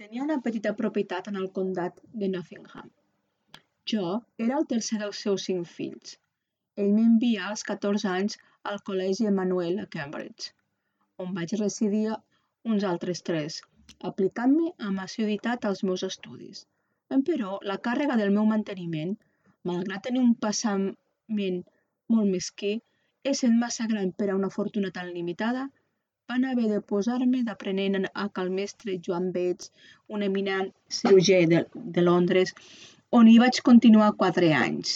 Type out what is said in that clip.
Tenia una petita propietat en el comtat de Nottingham. Jo era el tercer dels seus 5 fills. Ell m'envià als 14 anys al Col·legi Emmanuel a Cambridge, on vaig residir uns altres 3, aplicant-me amb assiduïtat als meus estudis. Però la càrrega del meu manteniment, malgrat tenir un passament molt mesquí, essent massa gran per a una fortuna tan limitada, van haver de posar-me d'aprenent a cal mestre Joan Bates, un eminent cirurgià de Londres, on hi vaig continuar 4 anys.